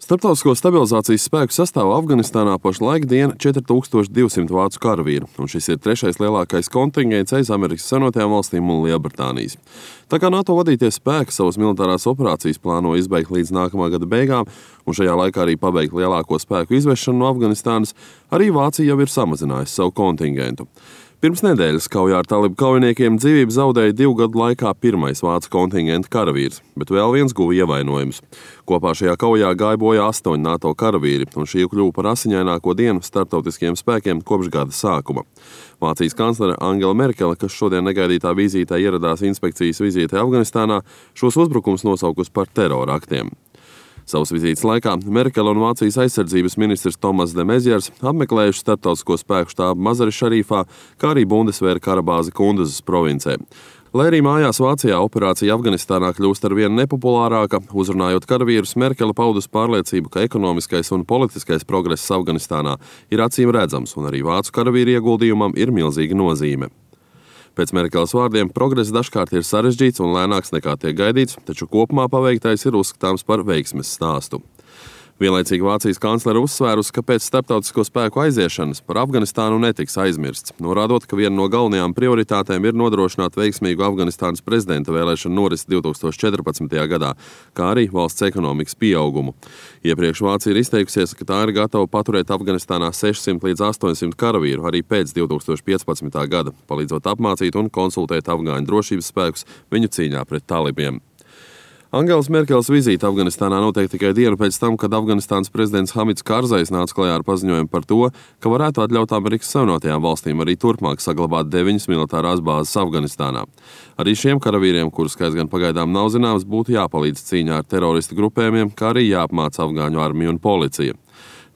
Starptautisko stabilizācijas spēku sastāvā Afganistānā pašlaik dien 4200 vācu karavīru, un šis ir trešais lielākais kontingents aiz Amerikas Savienotajām valstīm un Lielbritānijas. Tā kā NATO vadītie spēki savas militārās operācijas plāno izbeigt līdz nākamā gada beigām, un šajā laikā arī pabeigt lielāko spēku izvešanu no Afganistānas, arī Vācija jau ir samazinājusi savu kontingentu. Pirms nedēļas kaujā ar talibu kaujiniekiem dzīvību zaudēja 2 gadu laikā pirmais vācu kontingenta karavīrs, bet vēl viens guva ievainojumus. Kopā šajā kaujā gāja bojā 8 NATO karavīri, un šī kļuva par asiņaināko dienu starptautiskiem spēkiem kopš gada sākuma. Vācijas kanclere Angela Merkele, kas šodien negaidītā vizītē ieradās inspekcijas vizītē Afganistānā, šos uzbrukums nosaukus par terora aktiem. Savas vizītes laikā Merkele un Vācijas aizsardzības ministrs Tomas de Mezjers apmeklējuši starptautisko spēku štābu Mazari Šarīfā, kā arī Bundesvēra karabāzi Kunduzas provincē. Lai arī mājās Vācijā operācija Afganistānā kļūst arvien nepopulārāka, uzrunājot karavīrus, Merkele paudus pārliecību, ka ekonomiskais un politiskais progress Afganistānā ir acīm redzams, un arī vācu karavīru ieguldījumam ir milzīga nozīme. Pēc Merkeles vārdiem progress dažkārt ir sarežģīts un lēnāks nekā tiek gaidīts, taču kopumā paveiktais ir uzskatāms par veiksmes stāstu. Vienlaicīgi Vācijas kanclere uzsvērusi, ka pēc starptautisko spēku aiziešanas par Afganistānu netiks aizmirsts, norādot, ka viena no galvenajām prioritātēm ir nodrošināt veiksmīgu Afganistānas prezidenta vēlēšanu norisi 2014. gadā, kā arī valsts ekonomikas pieaugumu. Iepriekš Vācija ir izteikusies, ka tā ir gatava paturēt Afganistānā 600 līdz 800 karavīru arī pēc 2015. gada, palīdzot apmācīt un konsultēt afgāņu drošības spēkus viņu cīņā pret talibiem. Angelas Merkeles vizīte Afganistānā notiek tikai dienu pēc tam, kad Afganistānas prezidents Hamids Karzais nāca klajā ar paziņojumu par to, ka varētu atļaut Amerikas Savienotajām valstīm arī turpmāk saglabāt 9 militārās bāzes Afganistānā. Arī šiem karavīriem, kuru skaits gan pagaidām nav zināms, būtu jāpalīdz cīņā ar teroristu grupējumiem, kā arī jāapmāca afgāņu armija un policija.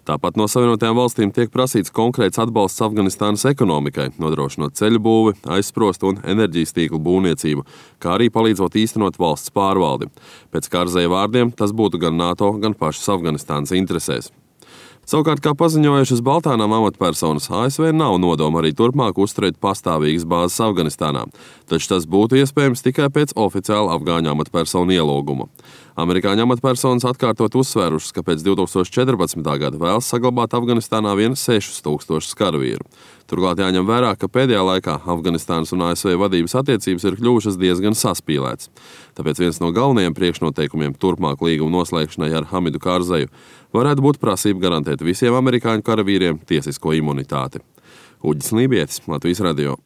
Tāpat no Savienotajām valstīm tiek prasīts konkrēts atbalsts Afganistānas ekonomikai, nodrošinot ceļu būvi, aizsprostu un enerģijas tīklu būvniecību, kā arī palīdzot īstenot valsts pārvaldi. Pēc Karzaja vārdiem tas būtu gan NATO, gan pašas Afganistānas interesēs. Savukārt, kā paziņojušas Baltānām amatpersonas, ASV nav nodoma arī turpmāk uzturēt pastāvīgas bāzes Afganistānā, taču tas būtu iespējams tikai pēc oficiāla afgāņu amatpersonu ielūguma. Amerikāņu amatpersonas atkārtot uzsvērušas, ka pēc 2014. gada vēlas saglabāt Afganistānā vien 6000 karavīru. Turklāt jāņem vērā, ka pēdējā laikā Afganistānas un ASV vadības attiecības ir kļuvušas diezgan saspīlētas. Tāpēc viens no galvenajiem priekšnoteikumiem turpmāk līguma noslēgšanai ar Hamidu Karzaju varētu būt prasība garantēt visiem amerikāņu karavīriem tiesisko imunitāti. Uģis Lībietis, Latvijas radio.